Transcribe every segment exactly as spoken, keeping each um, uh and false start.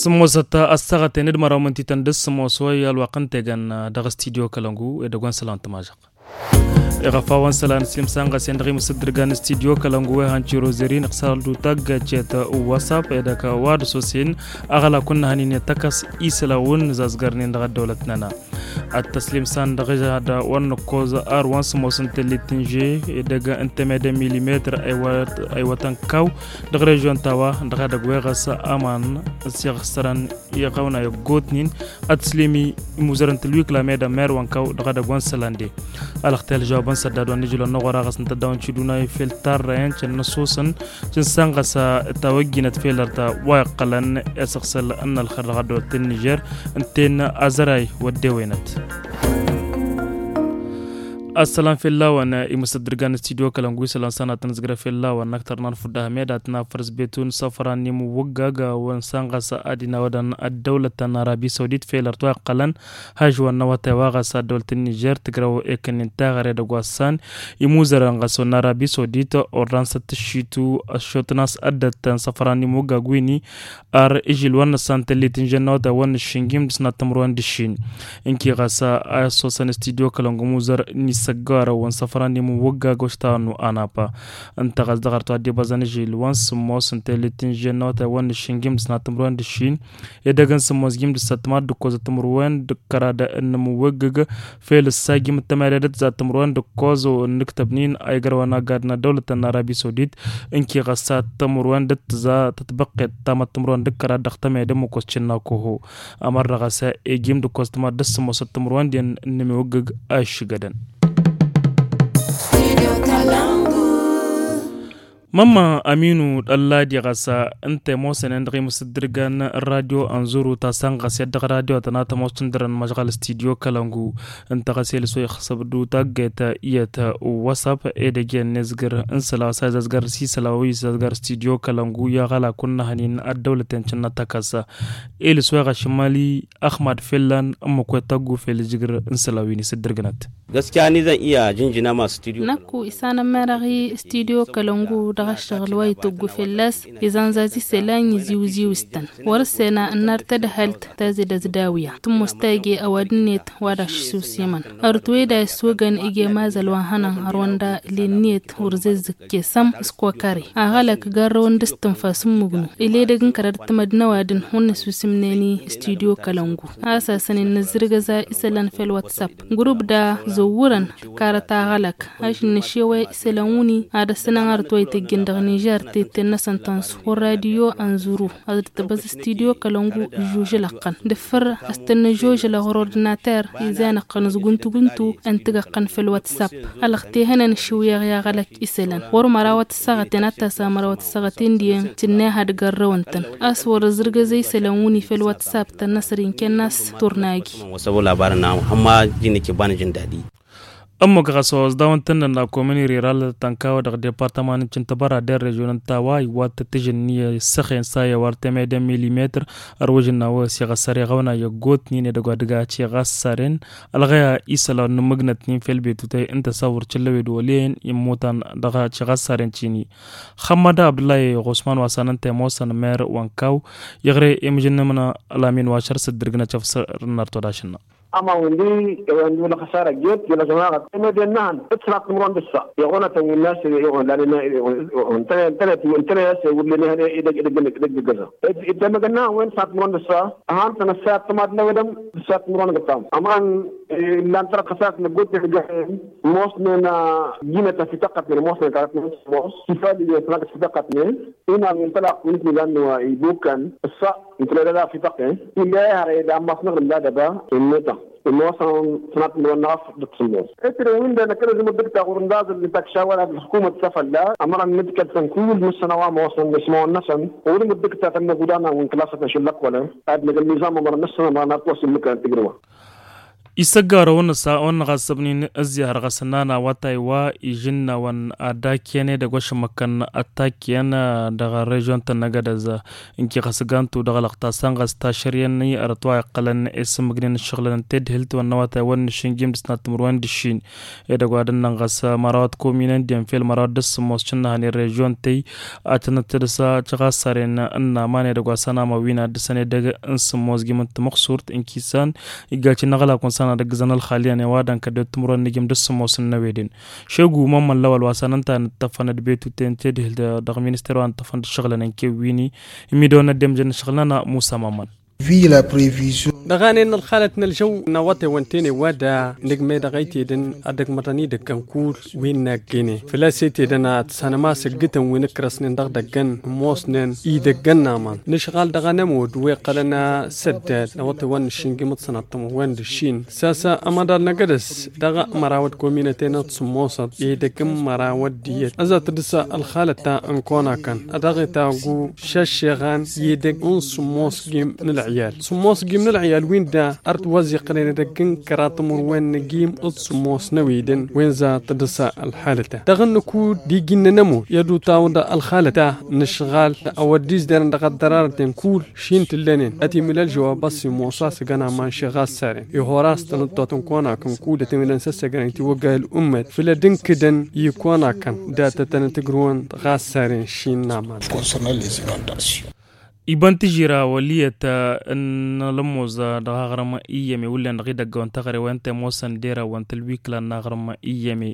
Sǝmmosăt ăssaɣăten d-măraw mǝntităn d-sǝmmos wa i-ălwaqq n-tegăn dăɣ-studyo kălăngu edăgg wa n-sălan tămažăɣ. Iɣăf a-wa n-sălan s-imsănɣăsen dăɣ-imǝsǝddǝrgan n-studyo kălăngu wa ihăn ciro zărin ǝqsarăl d-utaggăcet, wasap edăgg wa d-sosen aɣălakun n-ahănin i-tăkăs isălawun n-zazgărnen dăɣ-ăddăwlăt-năna. Ad-tăslimsan dăɣ-ižăhăd wa n-nǝkkoẓ ar wa n-sǝmmos n-tellit n-že edăgg n-teme d-milimetr. Ăywătăn kaw dăɣ-režion ta wa dăɣ-edăgg wa iɣăs aman s-iɣsărăn iɣăwna i-ăggootnen. Ad-tǝslim imuzărăn tǝlwikla medămmer wa n-kaw dăɣ-edăgg wa n-sălande. Alăɣtel žawăbăn săddad wa n-ijǝlon n-aɣora ɣas n-tăddawăn ciduna i-fel tarrăyăn căn n-ăsoosăn căn sanɣăs tawăjjinăt fel ărta wa iqqălăn i-asăɣsăl n-ălxer dăɣ-ăddăwlăt n-nižer. Ǝnta-en azăray wăddewenăt. Ăssălan fell-a-wen imǝsăddǝrgan n-studyo kălăngu isălan s-anatăn ǝzgrăf fell-a-wen n-aktăr n-anfudda hămed ad-tǝnafăr s-betun săfran n-imǝwwăggag wa n-sanɣăs ad-inawădăn ăddăwlăt n-arabi săwdit fel ărta wa iqqălăn hažwăn n-awătay wa ɣas ăddăwlăt n-nižer tǝgrăw ekănnen taɣăre dăgg-wa s-san imuzărăn ɣas wa n-arabi săwdit ordan s-ad-tǝššitu ăššotăn a-s ăddăt n-săfran n-imǝwwăggag wi-ni ar ižil wa n-năssan tăllit n-žănnawăt a wa n-nǝššin gimdǝs n-ad-tǝmrǝwăn d-ǝššin. Ǝnki ɣas a ăssosăn studyo kălăngumuzăr n-isăggawărăn wa n-săfran n-imǝwwăggag oštawăn nu anapa. Ǝnta ɣas dăɣ-arăt wa dd-ibăẓăn ižil wa n-sǝmmos n-tăllit n-žănnawăt a wa n-nǝššin gimdǝs n-ad-tǝmrǝwăn d-ǝššin edăgg n-sǝmmos gimdǝs ăttămad d-ǝkkoẓ ăttămrǝwăn d-kăra d-ănnămǝwwăggăg. Fel ǝssa gim d-tămăre d-tǝza tǝmrǝwăn d-ǝkkoẓ ǝnnǝktăbnin a igrăwăn agad n-ăddăwlăt n-arabi săwdit. Ǝnki ɣăssa tǝmrǝwăn d-tǝza tătbăqqet tamăt tǝmrǝwăn d-kăra d-dăɣ-tămăre d-ǝmmǝk oscǝnna koho. Ămăr dăɣ-ăsa egim d-ǝkkoẓ tămăt d-sǝmmos d-tǝmrǝwăn d-iyyăn ǝnnǝmǝwwăggăg a iššǝgădăn. Mămma aminu d-ălladi ɣas ǝnta i-ămoosănen dăɣ-imǝsǝddǝrgan n-radyo ănzuru ta săn ɣas i-ad-dăɣ radyo tăna tămoos tǝndărăn măšɣăl studyo kălăngu. Ǝnta ɣas elǝs wa ixsăb d-utaggăyt iyyăt wasap edăgg iyyăn n-ezgăr n-isălan s-a izazgăr s-isălan wa izazgăr studyo kălăngu i-aɣălak wa n-năhănin ăddăwlăten cǝnnăt tăkăs. Elǝs wa iɣăššǝmali ăxmad fell-an ǝmmǝk wa ităggu fel ǝjǝgr n-isălan wi n-isǝddǝrgǝnăt. Gaskiya ni zan iya jinjina ma studyo. Năkku isanămmeraɣ i-studyo kălăngu dăɣ-ăššăɣǝl wa ităggu fell-as izanzaz isălan iziwziw s-tăn. Wăr ǝssena ǝnnar tadhalt tazǝd ăzdawǝya tǝmmos tage ăwadǝm-net wa d-aššǝsǝwsimăn. Ărăt weda iswăgăn ija mazăl wa hănăn hărwăn da ǝlin-net wăr zǝzzǝk kesăm s-kokare aɣălăk garrăwăn d-s-tǝnfas n-mǝgnu. Ila edăgg n-kărar tǝmăd n-ăwadǝm wăr nǝsusǝmnen i-studyo kălăngu a-s asăn innă ǝzzǝrgăza isălan fel whatsapp grup da zăwwărăn. Tǝkkarăt aɣălăk ašǝnnăšew i-isălan wǝnni ad-ăssănăn arăt wa ităjjăn dăɣ-nižer tetten-năsăn tănsu wăr radyo ănzuru ad-dd-tăbăẓ studyo kălăngu. Žužǝlăɣ-tăn dăffăr a-s tăn-năžožălăɣ ɣur-ordinater izan ăqqăn s-guntu-guntu ǝntǝg ăqqăn făll-whatsapp. Ălɣăt ihănăn ǝššǝwǝyăɣ i-aɣălăk isălan wăr măra wa tǝssăɣăten ad-tasa măra wa tǝssăɣăten diyen tǝnnăyăh ad-gărrăwăn-tăn a-s wăr-ăzrǝgăzăy isălan wǝnni făll-whatsapp tăn-năsăr inken n-a-s turnagi. Wăsăbo labarăn n-a hămma jinăke banăjăn dadi. Ămmuk ɣas wa ăẓdawăn tǝnnăn la komini riral tănkawăd dăɣ-departăman n-cǝntăbăra d-režion n-tawa iwwat tǝtǝžǝnni ăssăxen s-a iwar teme d-milimetr. Ărwǝžăn n-a-wa s-iɣăssăr iɣăwna i-ăggootnen edăgg wa dăgg-a ciɣassaren ălɣăya isălan n-imǝgnătnen fel betutăy ǝnta s-a wăr cǝllăwed wăl'-en immutan dăɣ-ciɣassaren cini. Xămmăd abdullah i-ɣosman wa s-anăn temosăn mer wa n-kaw iɣre imǝžǝnnǝmna. Ălamin wa šăr s-dd-irgǝnăt căfsăr n-arăt wa d-ašǝnna. Ama windi windi wăla xăsară jot wăla jămaɣăt. Teme d-ennăhăn ǝtnat timǝrwen d-ǝssa iɣonătăn wi n-nas iɣon lani. Ǝntăne ǝntăne ǝntăne a-s wăr lene hăne idăgg idăgg idăgg idăgg ǝzzăɣ. Itămăgănnăhăn wen ǝtnat timǝrwen d-ǝssa. Ăhan tăn-ăssayăt tămadlăwedăm ǝssayăt timǝrwen d-ǝssa. Aman illan tărăt xăsarăt năggote. Ămoosnen jinătăn fi tăqqătnen ămoosnen tărăt nămoos kifal iyyăn tănăgăt fi tăqqătnen. Inam intălaq win-t nizan wa ibukkan ǝssa. Ǝntăne d-ăla fi tăqqe illa ihăr eda ămmas năɣrǝm d-adăba. Inneta ămoosăn tănat n-wănnăɣ afăl dăɣ-sǝmmos. Ǝtre win-dăɣ năkkăneẓ imǝddǝk ta ɣur-ǝndaẓ ǝnta kăšawăl ad-ălxukumăt s-afălla. Ămăra n-nǝdkăl-tăn kull mǝssăna wa ămoosăn ăsmawăn-năsăn. Ɣur-imǝddǝk ta tăn-năgg udan a win-kălasăt n-ašăl-lăkkolăn ad-năgg ălnizam ămăra n-năsăn ămăra n-ad-t-wăsǝn mǝkăn tǝgrǝwăn. Isăggarăwăn s-a wăn-năɣ asăbnin ǝzzihăr ɣas ănnana wa taywa ižǝnnawăn ad-dd-akǝyăn edăgg wa šămmăkkăn ad-t-akǝyăn dăɣ-režion-tăn n-agădăz. Ǝnki ɣas gantu dăɣ-lăɣta s-an ɣas tašăryăn i-ărăt wa iqqălăn isǝmmǝgnen ǝššăɣlăn n-tedhǝlt wa n-năwatay wa n-nǝššǝnjim d-sănat timǝrwen d-ǝššin. Edăgg wa d-ǝnnăn ɣas mărawăt kominăn d-infel mărawăt d-ǝssǝmmos šǝnnăhăn i-režion tey ad-tănăt-tǝdǝsa căɣasaren n-aman edăgg wa s-anamăwin ad-dăr-săn edăgg n-sǝmmos gim n-timǝxsurt ǝnki s-an iggaci n-aɣlak wa n-săn ad-ăggǝzăn ălxaliyan i-wa dăn kăddet timǝrwen n-igim d-ǝssǝmmos n-năwedin. Šegu mămmăn lăwăl wa s-anăn ta nǝttăfăn d-betu ten tedhǝl dăɣ-minister wa nǝttăfăn d-ǝššăɣlăn n-kewwini imidăwăn n-ăddemjăn n-ǝššăɣlăn a musa mămmăn. Dăɣ-anen n-ălxalăt n-ălžăw n-awătewăn tene wa da nǝgme dăɣ-ăytedăn ad-ăgmăḍăn idăggăn kull wi n-naggene făl-a-s ăytedăn ad-sănăma s-ǝggǝtăn wi n-ǝkrăsnen dăɣ-idăggăn ămoosnen idăggăn n-aman nǝšɣal dăɣ-anămud wi ǝqqălăn asăddad n-awătewăn n-aššǝnjim d-sănaṭṭămăwwen d-ǝššin s-a-s amăḍal n-agădăs dăɣ-mărawăt kominăten d-sǝmmosăt i-idăgg n-mărawăt d-iyyăt ăzzat d-s-ălxalăt ta n-konakăn ad-dăɣ-itaggu šăššeɣan i-idăgg n-sǝmmos gim n-ălɣiyal sǝmmos gim n-ălɣiyal win da ărt wa ăzziqqălăn edăgg n-kăraḍ timǝrwen n-agim d-sǝmmos n-ăwidăn wen zat d-s-ălxalăt-a dăɣ-nǝkud d-iji n-anămur i-ad-utawăḍ ălxalăt-a n-ǝšɣal a wăr dd-izderăn dăɣ-ăddărarăten kull šin t-ǝllănen ătimǝl ălžăwab a-s imosa s-ăgg ănaman šeɣ a ăssarem ihor a-s tanăttot n-konakăn kud ătimǝlăn s-ăssăgrăn itiwăgga i-ălummet făll-ad-ǝnkǝdăn i-konakăn datătăn tǝgrǝwăn ɣas saren šin n-aman. Iba n-tižira wăl' iyyăt n-alămmoz dăɣ-aɣrǝm iyyăme wullen dăɣ-idăggăwăn taɣre wa ǝnta i-ămoosăn dera wa n-tălwikla n-aɣrǝm iyyăme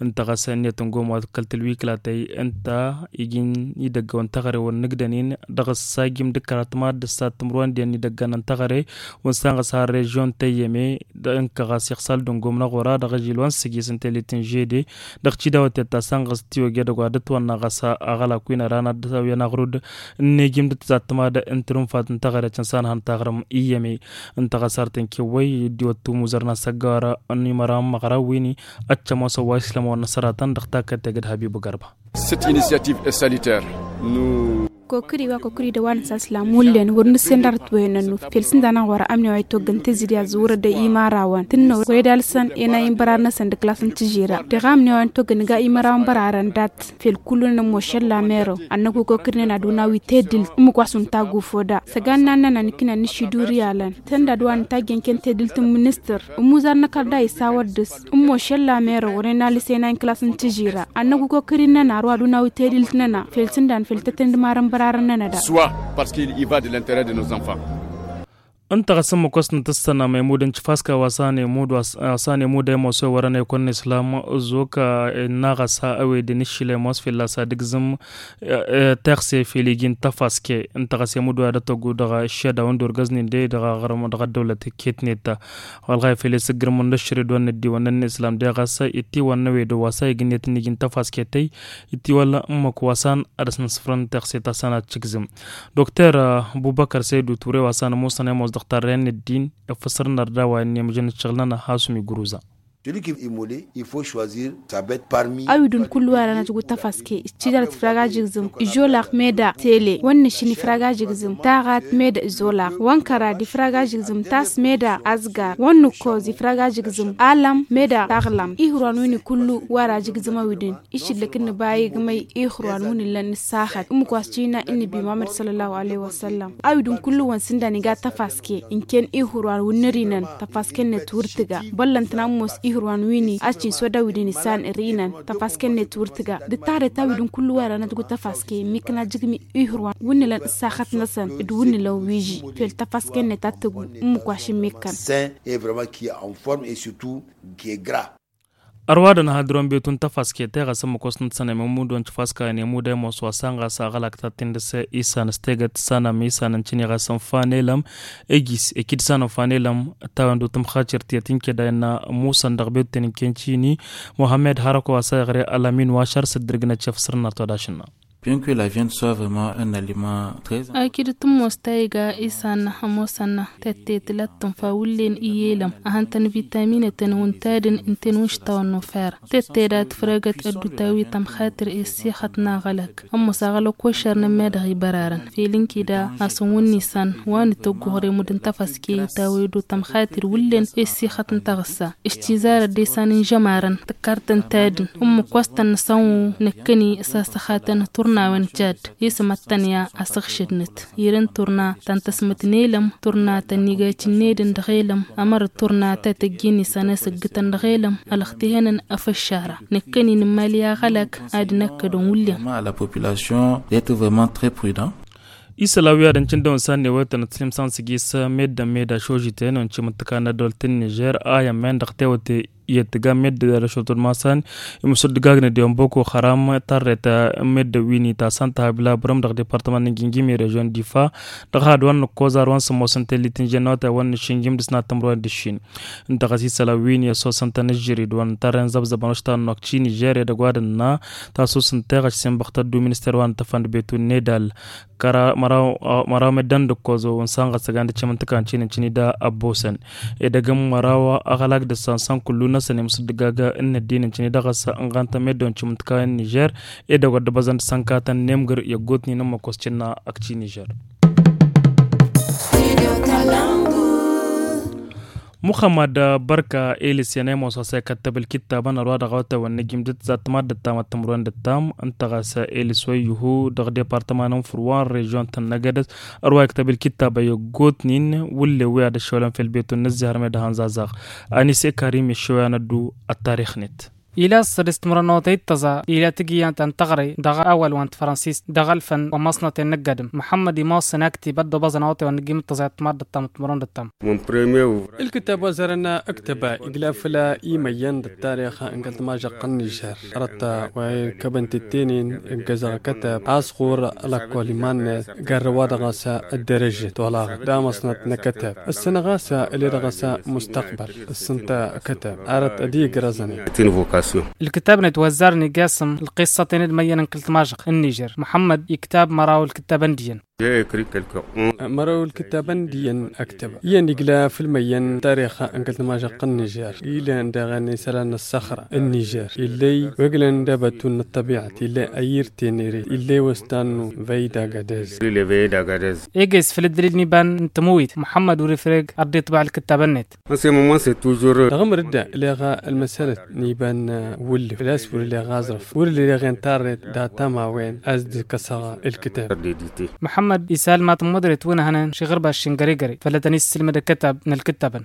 ǝnta ɣas ǝnniyăt n-gom wa kăl-tălwikla tăy ǝnta iji n-idăggăwăn taɣre wa n-nǝgdănin dăɣ-ăssajim d-kăratma d-ǝssat timǝrwen d-iyyăn idăggăn n-taɣre wa n-sanɣăs har režion tăyyăme d-ǝnka ɣas iɣsal d-ǝngom n-aɣora dăɣ-ažil wa n-sǝjis n-telit n-žede dăɣ-tidawăt i-ăttasăn ɣas tiwăgge dăgg-wa d-ǝtwănna ɣas aɣălak wi n-ăran ad-dd-tawǝyăn aɣrud n-ejim d-tǝzattăma d-ǝntǝrǝnfat n-taɣăret n-sanhăn taɣrǝm iyyăme ǝnta ɣas ar tăn-kewwăy dd-iwăt tumuzăr n-asăggawăr n-imăra n-imăɣraw wi-ni ad-t-ămoosăn wa islăm wa n-asăratăn dăɣ-takkăt tegăd habib gărba. Cette initiative est salutaire. Nous. Kokri wa kokri d-wa n-saslam wullen wăr nǝssen d-arăt wăyăn ănnut fel s-ǝnda n-aɣora ămni wa itwăggăn tǝzzǝd i-azzǝwrăd i-imărawăn tǝnnăwăr wăr e-d alsăn enay n-bărar-năsăn d-klas n-tǝžžira dăɣ-amni wa n-itwăggăn ga imărawăn bărarăn dat fel kullu n-ămošăl lamerăw ănnăku kokri-năn ad-unawi tedǝlt ǝmmǝk wa s-untaggu foda săgan n-annăn ănikǝnăn n-ašiduri alăn tănda d-wa n-tajjăn ken tedǝlt n-ministăr ămmuzar n-ăkăr da isawăr dăr-s ǝmmošăl lamerăw wăren alǝsena n-klas n-tǝžžira ănnăk wi-kăwăkărin-năna ar wa d-unawi tedǝlt-năna fel s-ǝndan fel tăt-ǝndmar n-bărarăn-nănăda. Soit parce qu'il y va de l'interet de nos enfants. Ǝnta ɣas ǝmmǝk wa s-nǝtǝssănăm emud n-tifaska wa s-an emud a imoso i-wărăn ekăwăn n-islam ăzok ănnaɣ ăsa ăwedăn iššil ămoos fălla-s ad-ǝgzǝm. Teɣse fel iji n-tafaske ǝnta ɣas emud wa dăr-tăggu dăɣ-iššădaw ǝndorgăznen de dăɣ-aɣrǝm dăɣ-ăddăwlăt iket-net ta wălɣay fel i-sǝggǝrmăn d-ăššăre d-wa n-ăddiwăn n-islam de ɣas itiwăn n-ewed wa s-a igǝnnet n-iji n-tafaske tăy itiwălla ǝmmǝk wa s-an ad-ăsnăsfrăn teɣse ta s-an ad-tǝgzǝm. Dokter bubăkăr săydu ture wa s-an ămoosăn i-ămoos dăɣ-tarrăyăn n-ăddin ifǝsrăn ărdawa ănnemǝžăn ǝššăɣǝl-nănăɣ hasum igruza. Celui qui est immolé il faut choisir sa bête parmi. Awǝdǝn kullu wa rănăt gu tafaske ǝššidărăt ifrag ajǝgzǝm ižolaɣ meda tele wănnăšin ifrag ajǝgzǝm taɣat meda ižolaɣ wănkărad ifrag ajǝgzǝm tas meda azgar wănnǝkkoz ifrag ajǝgzǝm alăm meda taɣlăm ihǝrwan win-i kullu wa rajǝgzǝm awǝdǝn. Išǝllăk n-nǝba igmăy ihǝrwan wǝnnǝlăn nǝssaxăt ǝmmǝk wa s-cina ǝnnǝbi muhammăd săllallahu alaihi wa săllam. Awǝdǝn kullu-wăn s-ǝndan iga tafaske ǝnken ihǝrwan wǝnnǝrinăn tafaske-net wăr tǝga băllăn tǝnammus ihǝrwan wini a-s cinsoda awǝdǝn isan ărinăn tafaske-net wăr tǝga d-ǝttăɣret awǝdǝn kullu wa rănăt gu tafaske ǝmmǝkăn ajǝgmi ihǝrwan wǝnnǝlăn ǝssaxăt-năsăn d-wǝnnǝlăn wi iji fel tafaske-net ad-tǝggu ǝmmǝk wa šǝmmǝkkăn. Sain et vraiment qui est en forme et surtout qui est gras. Ărwadăn hadrăwăn betu n-tafaske teɣăs ǝmmǝk wa s-nǝttănăm i-mudon tifaska i-nemud a imoos wa s-an ɣas aɣălak ta tindǝs isan s-tegăt s-anam isan n-tiniɣas n-fanelăm ejis ekid s-anam fanelăm. Tawăn-dut tǝmxacărt i-ad-tǝnked a innă musăn dăɣ-betu teninkent šini muhammed harăko wa s-a iɣre ălamin wa šăr s-dd-irgǝnăt šef săr-năr todăšna. Bien que la viande soit vraiment un aliment très. Akǝd tǝmmos ta iga isan ămoosăn tătte tǝlat tǝnfa wǝllen i-elăm a hăn-tăn vitaminătăn wǝntadǝn ǝnta-en wǝnš tawănnu fera tătte da tǝfrăgăt ăddutawi tămxatǝr i-ăssixăt n-aɣălăk. Ămmus aɣălăk wăššărnăn ma dăɣ-ibărarăn fel ǝnkǝda a-s n-wǝnnisan wa n-tăgguhre mudǝn tăfăske i-tawăydu tămxatǝr wǝllen i-ăssixăt n-taɣǝssa. Ǝštizarăt d-esan n-žămarăn tǝkkar-tăn tadǝn ǝmmǝk wa s-tăn-nǝsănwǝw năkkăni s-asăxatăn turnawen jad isǝm ad-tăn-ya asǝɣšǝdnăt. Irǝn turna ta n-tăsmăt n-elăm turna ta n-igacǝnnedăn dăɣ-elăm. Ămăr turna ta tăjjin isănesăggǝtăn dăɣ-elăm ălăxtihănăn ăfăššara năkkăni n-imali aɣălăk ad-năkkădăn wǝllen. Vraiment à la population d'être vraiment très prudent. Isălan wi ad-ǝncǝn dăɣ-wăn s-ad-newătăn ăttlǝmsan sǝgis meddǝn meda šožiten ăncǝm ǝntǝkan n-ăddolt n-nižer a i-ămmen dăɣ-tewăte i-ăttǝga meddǝn ad-ăšotăd masan imǝsǝddǝgagnăd i-ănboko xăram tarret n-meddǝn wi n-itasăn tăhabla bărăm dăɣ-departămăn n-gingim i-režion difa. Dăɣ-had wa n-nǝkkoẓar wa n-sǝmmos n-tellit n-žennăwăt a wa n-nǝššǝnjim dăɣ-s n-ad-tămrăwen d-ǝššin ǝnta ɣas isălan wi n-i-ăssosăn-tăn ǝžžǝrid wa n-tarren zăbzăbăn oštăn n-okči nižer edăgg wa dănna tasus n-teɣăš s-inbăɣ tăddu minister wa n-tăfăn d-betu n-nedal. Kăra măraw măraw meddǝn d-ǝkkoẓo ǝnsan ɣăssăgan d-cimǝntǝkan cin n-cini da ăbbosăn edăgg n-măraw aɣălak dăr-săn săn kullu-năsăn imǝsǝddǝgag n-ăddin n-cini dăɣ-s ănɣan-tăn meddǝn cimǝntǝkan n-nižer. Edăgg wa dd-băzăn d-sănkatăn n-emgǝr i-ăggootnen n-măkos cǝnna ăkci nižer. Muxămmad bărka elis i-ănăymoos ɣas a ikăttăb ǝlkǝttabăn ărwa dăɣ-awătay wa n-nǝjjǝm dăt-tăt zatmad d-ăttam ăttămrwen d-ăttam ǝnta ɣas elis wa ihu dăɣ-departăman n-furwa n-režion ta n-năgădăs. Ărwa ikăttăb ǝlkǝttab a i-ăggootnen wǝllen wi ad-ăššăwlăn fel betu n-ǝzzihăr meddǝn hanzazaɣ. Anise karim iššăw i-ad-năddu ăttarix-net. Ila s-sădis timrănotăy d-tăẓa ila tǝgǝyya ta n-tăɣre dăɣ-awal wa n-tefransist dăɣ-ălfăn wa n-măsnăten n-ăgg-adǝm muḥămmăd imossăn aktib ad-dd-obaẓăn awătay wa n-nǝjjǝm d-tăẓa i-ăttămad d-ăttămăt timrăwăn d-ăttam. Ǝlkǝtab wa zărăn ǝktăba iglaf făll-a imăyyăn d-ăttarix n-kăl-tămažăɣt n-nižer. Ărăt wa irkăbăn tettenen ǝggăzăɣ akătab a-s ɣur-ălăkkol iman-net garrăw-wa-dăɣ a-s ăddărăžet olaɣăt d-amăsnăt n-akătab ǝssǝnăɣ a-s ǝled ɣas mustăqbăl. Ǝssǝnta akătab arăt ad-iyyǝgrăẓăn. Ǝlkǝtab-net wa ăzzarăn iga asǝm ǝlqǝssăten d-imăyyăn n-kăl-tămažăɣt n-nižer muḥămmăd iktab măraw ǝlkǝttabăn d-iyyăn. Măraw ǝlkǝttabăn d-iyyăn ăktăbăn iyyăn igla făll-imăyyăn tarix n-kăl-tămažăɣt n-nižer. Ilăn daɣ isălan n-ăssăxra n-nižer illăy wa iglăn d-abatun n-ăṭṭăbiɣăt illăy ayǝr tenere illăy wa s-tannu văyda gadez. Eges făll-ǝddǝlil n-iba n-tămǝwit muḥămmăd wăr-ifreg ad-dd-iṭbăɣ ǝlkǝttabăn-net. Dăɣ-amăr dd-ǝlleɣ ălmăsălăt n-iba n-wǝllǝf făl-a-s wăr-ǝlleɣ aẓrǝf wăr-ǝlleɣ i-tarret dat-tamawen a-s dd-kăsăɣ ǝlkǝtab. Muḥămmăd isal ma tămmăḍret wi n-ehănen šiɣǝrba šingăregăre făll-ad-tăn-issǝlmăd ăkkătab n-ǝlkǝttabăn.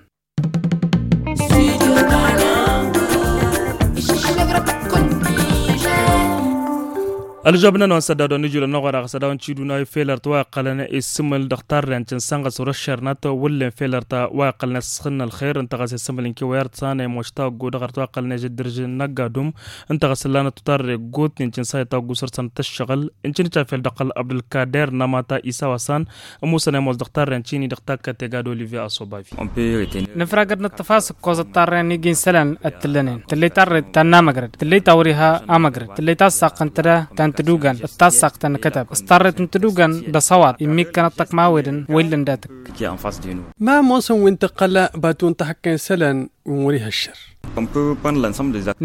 Ălžăb-nănăɣ n-sădda dăɣ-nǝjul ănnuɣăr aɣ sădda wa n-tiduna i-felărt wa iqqălăn isǝmǝl dăɣ-tarren cǝnsănɣăs wăr-ăššărnăt wǝllen felărt wa iqqălăn isxǝnnă ălxer ǝnta ɣas isǝmǝl n-kewăyărt s-anăymoš taggu dăɣ-ărt wa iqqălăn ižăddărž n-ăgg-adum. Ǝnta ɣas ǝllanăt tutarre ăggootnen cǝnsa i-taggu săr-săn tăššăɣǝl. Ǝncǝnǝt afel dăɣ-kăl-abdulkader n-amata isa wa s-an ămusăn ăymoos dăɣ-tarren cini dăɣ-takkăt tegad olivier asobavi. Nǝfragăd nǝṭṭăf a-s ǝkkoẓăt tarren igi n-isălan ăttǝllănen tǝllăy tarret ta n-amăgrăd tǝllăy ta wăr-iha amăgrăd tǝllăy tassaqt n-tăda ta n-tădugan d-tassaqt ta n-kătab s-tarret n-tădugan d-ăṣăwaḍ immikkăn ăṭṭăkma a-wedăn wa illăn dat-ǝkk. Ma ămoosăn wi n-tǝqqăl batu n-tahǝkka n-isălan wi n-wăr-iha ăššăr.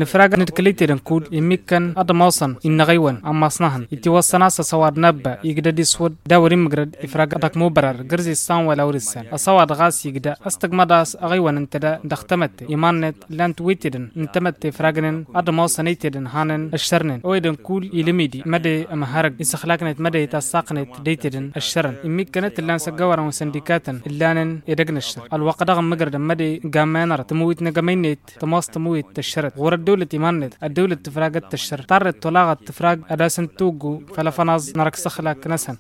Nǝfrag nǝdkǝl itedăn kud immikkăn ad-ămoosăn innăɣ ăywăn ămmaṣnăhăn itiwăssăn a-s ăṣăwaḍ n-abba igdăd iswǝd d-a wăr-immǝgrăd ifrag ad-ăkmubărăr gǝrz issan wăla wăr-issan ăṣăwaḍ ɣas igdă a-s tǝggmăḍ a-s aɣăywăn ǝnta da dăɣ-tamătte iman-net. Llan-t witedăn n-tamătte ifragnen ad-ămoosăn itedăn hanen ăššărnen ăwedăn kull ilǝmidi măde ămhărăg isăxlaknet măde tassaqnet d-itedăn ăššărăn immikkăn a t-ǝllan s-ăggăwărăn wi n-săndikatăn ǝllanen edăgg n-ăššăr ălwăqq dăɣ-ămmǝgrădăn măde gammayăn arăt tǝmǝwit n-agămăy-net tămoos tămǝwit tăššărăt ɣur-ăddăwlăt iman-net ăddăwlăt tǝfragăt tăššărăt tarret tolaɣăt tǝfrag ad-asăn-tuggu făll-afănaẓ n-arăk s-ăxlak-năsăn.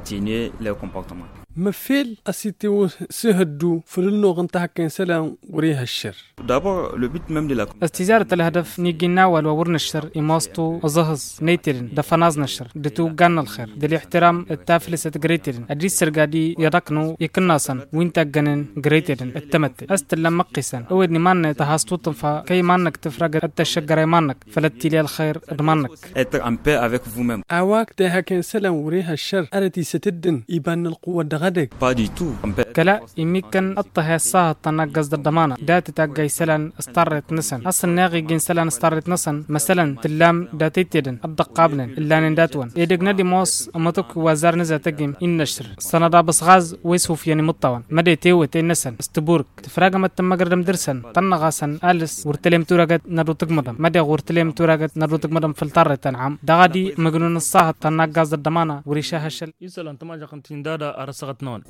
Măffel a-s itewăs s-ihăddu făll-ălnoɣ n-tahăkke n-isălan wăr-ih' ăššăr. Dabor le but mem de la. Ăstizaret ălhădăf n-iji n-awal wa wăr năššăr imass-tu ăẓăhǝẓ n-aytedăn d-afănaẓ năššăr d-tiwǝggan n-ălxer d-ălihtiram d-taflǝsăt gre-aytedăn ad-dd-issărgad i-iḍaknu ikǝnnasăn wi n-taggănen gre-aytedăn d-tamătte a-s t-ǝllan măqqisăn ăwed n-iman-net tăhass tuṭṭǝnfa kăy-iman-năk tǝfrag ad-tăššăggăr a iman-năk făll-ad-t-tili ălxer d-iman-năk. Être en paix avec vous mem. A-wa ǝkta ihak i-isălan wăr-ih' ăššăr ărăt isăt ǝddǝn iba n-ălqǝwwăt dăɣ-edăgg. Kăla immikkăn ǝṭṭăhe ăṣṣahăḍ ta n-agg-as d-ăḍḍămana dat-tagga isălan s-tarret-năsăn a-s ǝnneɣ iji n-isălan s-tarret-năsăn măsălăn tǝllam dat-ăytedăn ăḍḍăqqabnen ǝllanen dat-wăn edăgg n-ad-imoos ămătăkwi wa ăzzarăn ǝzatăgg-im innăššăr s-sănăḍ abǝsɣaz wa isufyăn imǝṭṭawăn mădde tewăt ennăsăn s-tibur. Tǝfragăm ad-tǝmmăgrădăm dăr-săn tănnăɣ-asăn alǝs wăr tălem turagăt n-ad-otǝgmăḍăm mădeɣ wăr tălem turagăt n-ad-otǝgmăḍăm făll-tarret ta n-ham dăɣ-ad-imǝgnun ăṣṣahăḍ ta n-agg-as d-ăḍḍămana wăr išah ašăl. Isălan tămažăɣt n-tindada ar ăssaɣăt-năwăn.